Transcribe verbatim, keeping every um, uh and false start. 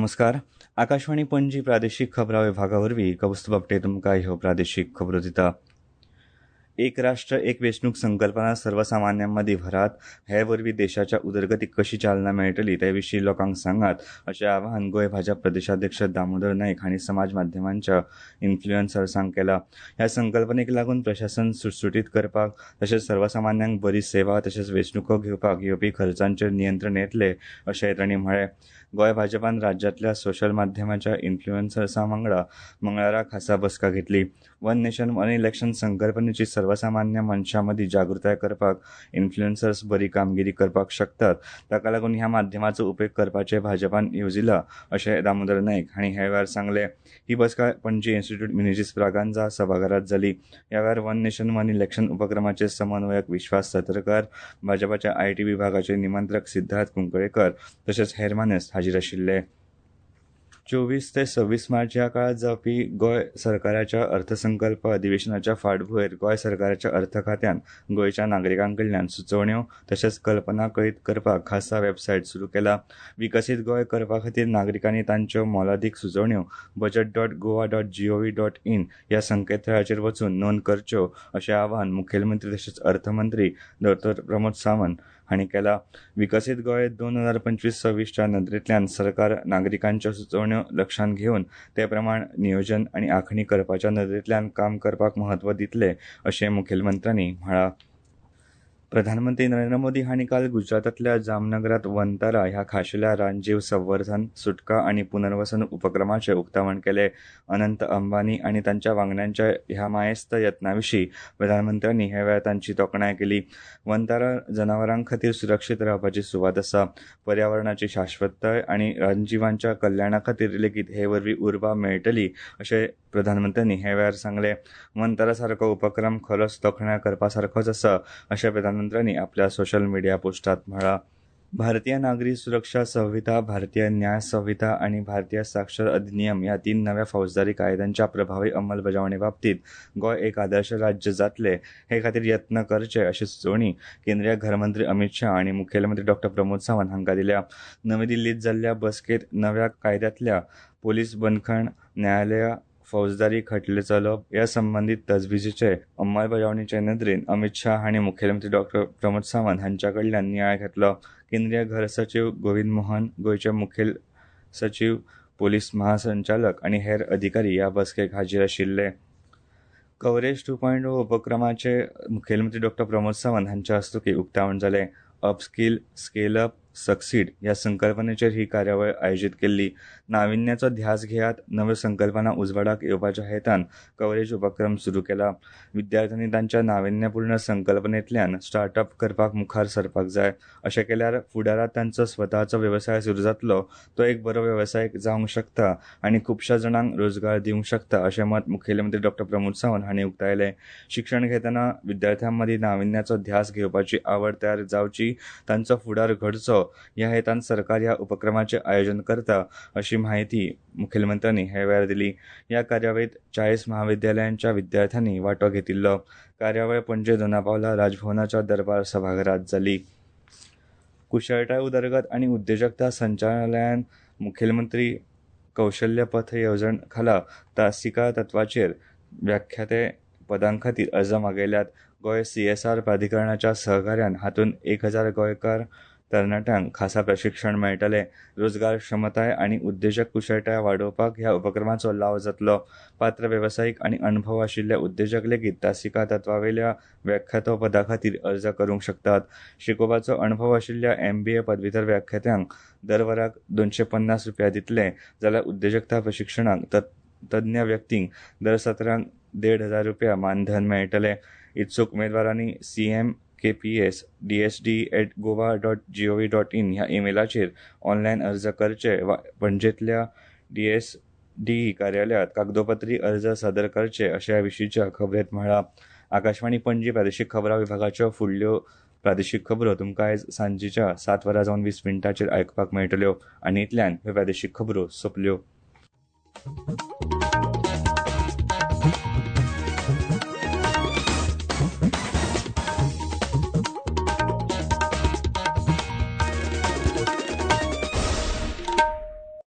नमस्कार. आकाशवाणी पणजी प्रादेशीक खबरां विभागा वरवीं कौस्तुभ आपटे तुमकां ह्यो प्रादेशीक खबरो दिता. एक राष्ट्र एक वेंचणूक संकल्पना सर्वसामान्यां मदीं भरात, हे वरवीं देशाच्या उदरगतीक कशी चालना मेळटली ते विशीं लोकांक सांगात अशें आवाहन गोंय भाजप प्रदेशाध्यक्ष दामोदर नायक हांणी समाज माध्यमांच्या इन्फ्लुएन्सर्सांक केलां. ह्या संकल्पनेक लागून प्रशासन सुटसुटीत करपाक तशेंच सर्वसामान्यांक बरी सेवा तशेंच वेंचणुको घेवपाक येवपी खर्चांचेर नियंत्रण येतलें अशें तांणी म्हळें. गोंय भाजपान राज्यांतल्या सोशल माध्यमाच्या इन्फ्लुएन्सर्सां वांगडा मंगळारा खासा बसका घेतली. वन नेशन वन इलेक्शन संकल्पनेची सर्वसामान्य मनशां मदीं जागृताय करपाक इन्फ्लुएन्सर्स बरी कामगिरी करपाक शकतात, ताका लागून ह्या माध्यमाचो उपेग करपाचें भाजपान येवजिलां अशें दामोदर नायक हांणी ह्या वेळार सांगलें. ही बसका पणजी इन्स्टिट्यूट मिनेझीस ब्रागांझा सभाघरांत जाली. ह्या वेळार वन नेशन वन इलेक्शन उपक्रमाचे समन्वयक विश्वास सतरकर, भाजपाच्या I T विभागाचे निमंत्रक सिद्धार्थ कुंकळेकर तशेंच हेर मानेस्त हाजीर आशिल्ले. चोवीस ते सव्वीस मार्च ह्या काळात जावपी गोंय सरकाराच्या अर्थसंकल्प अधिवेशनाच्या फाटभूंयेर गोंय सरकाराच्या अर्थ खात्यान गोंयच्या नागरिकां कडल्यान सुचोवण्यो तशेंच कल्पना कळीत करपाक खासा वेबसायट सुरू केला. विकसीत गोंय करपा खातीर नागरिकांनी तांच्यो मोलादीक सुचोवण्यो budget dot Goa dot gov dot in ह्या संकेतथळाचेर वचून नोंद करच्यो अशें आवाहन मुखेलमंत्री तशेंच अर्थमंत्री डॉक्टर प्रमोद सावंत हांणी केला. विकसीत गोंय दोन हजार पंचवीस सव्वीसच्या नदरेंतल्यान सरकार नागरिकांच्यो सुचोवण्यो लक्षांत घेवन ते प्रमाण नियोजन आनी आंखणी करपाच्या नदरेंतल्यान काम करपाक म्हत्व दितले अशें मुखेलमंत्र्यांनी म्हळां. प्रधानमंत्री नरेंद्र मोदी हांणी काल गुजरातांतल्या जामनगरांत वनतारा ह्या खाशेल्या रानजीव संवर्धन, सुटका आनी पुनर्वसन उपक्रमाचें उक्तावण केलें. अनंत अंबानी आनी तांच्या वांगड्यांच्या ह्या मायेस्त यत्ना विशीं प्रधानमंत्र्यांनी ह्या वेळार तांची तोखणाय केली. वनतारा जनावरां खातीर सुरक्षीत रावपाची सुवात आसा. पर्यावरणाची शाश्वतताय आनी रानजिवांच्या कल्याणा खातीर लेगीत हे वरवीं उर्बा मेळटली अशें प्रधानमंत्र्यांनी ह्या वेळार सांगलें. वनतारा सारको उपक्रम खरोच तोखणाय करपा सारकोच आसा अशें प्रधानमंत्र्यांनी आपल्या सोशल मिडिया पोस्टात म्हळां. भारतीय नागरी सुरक्षा संहिता, भारतीय न्याय संहिता आनी भारतीय साक्षर अधिनियम ह्या तीन नव्या फौजदारी कायद्यांच्या प्रभावी अंमलबजावणी बाबतीत गोंय एक आदर्श राज्य जातलें हे खातीर यत्न करचे अशी सुचोवणी केंद्रीय घरमंत्री अमित शाह आनी मुखेलमंत्री डॉक्टर प्रमोद सावंत हांकां दिल्या. नवी दिल्लींत जाल्ल्या बसकेंत नव्या कायद्यांतल्या पोलीस बंदखण, न्यायालया, फौजदारी खटले चलोवप ह्या संबंदीत तजवीजेचे अंमलबजावणीचे नदरेन अमित शाह हांणी मुखेलमंत्री डॉक्टर प्रमोद सावंत हांच्या कडल्यान नियाळ घेतलो. केंद्रीय घर सचीव गोविंद मोहन, गोंयचे मुखेल सचीव, पोलीस महासंचालक आनी हेर अधिकारी ह्या बसकेक हाजीर आशिल्ले. कव्हरेज टू पॉयंट ओ उपक्रमाचे मुखेलमंत्री डॉक्टर प्रमोद सावंत हांच्या हस्तुकीं उक्तावण जालें. अपस्कील, स्केल अप, सक्सीड ह्या संकल्पनेचेर ही कार्यावळ आयोजीत केल्ली. नाविन्याचो ध्यास घेयात, नव्यो संकल्पना उजवाडाक येवपाच्या हेतान कव्हरेज उपक्रम सुरू केला. विद्यार्थ्यांनी तांच्या नाविन्यपूर्ण संकल्पनेंतल्यान स्टार्टअप करपाक मुखार सरपाक जाय. अशें केल्यार फुडारांत तांचो स्वताचो वेवसाय सुरू जातलो, तो एक बरो वेवसाय जावंक शकता आनी खुबश्या जाणांक रोजगार दिवंक शकता अशें मत मुखेलमंत्री डॉक्टर प्रमोद सावंत हांणी उक्तायलें. शिक्षण घेतना विद्यार्थ्यां मदीं नाविन्याचो ध्यास घेवपाची आवड तयार जावची, तांचो फुडार घडचो ह्या हेतान सरकार ह्या उपक्रमाचें आयोजन करता अशी म्हायती मुखेलमंत्र्यांनी ह्या वेळार दिली. ह्या कार्यावळींत चाळीस महाविद्यालयांच्या विद्यार्थ्यांनी वांटो घेतिल्लो. कार्यावळ पणजे दोनापावला राजभवनाच्या दरबार सभाघरांत जाली. कुशळटाय उदरगत आनी उद्देजकता संचालनालयान मुखेलमंत्री कौशल्य पथ येवजण खाला तासिका तत्वाचेर व्याख्याते पदां खातीर अर्ज मागयल्यात. गोंय सी एस आर प्राधिकरणाच्या सहकार्यान हातूंत एक हजार गोंयकार तरणाट्यांक खासा प्रशिक्षण मेळटलें. रोजगार क्षमताय आनी उद्देजक कुशळटाय वाडोवपाक ह्या उपक्रमाचो लाव जातलो. पात्र वेवसायीक आनी अणभव आशिल्ल्या उद्देजक लेगीत तासिका तत्वावेल्या व्याख्यातो पदा खातीर अर्ज करूंक शकतात. शिकोवपाचो अणभव आशिल्ल्या एम बी ए पदवीधर व्याख्यात्यांक दर वराक दोनशे पन्नास रुपया दितले, जाल्यार उद्देजकता प्रशिक्षणाक तज्ञ व्यक्तींक दर सत्रांक देड हजार रुपया मानधन मेळटलें. इत्सूक उमेदवारांनी C M K P S D S D at Goa dot gov dot in ह्या ईमेलाचेर ऑनलायन अर्ज करचे वा पणजेंतल्या डी एस डी कार्यालयांत कागदोपत्री अर्ज सादर करचे अशें ह्या विशींच्या खबरेंत म्हळां. आकाशवाणी पणजी प्रादेशीक खबरां विभागाच्यो फुडल्यो प्रादेशीक खबरो तुमकां आयज सांजेच्या सात वरां जावन वीस मिनटांचेर आयकपाक मेळटल्यो. आनी इतल्यान ह्यो प्रादेशीक खबरो सोंपल्यो.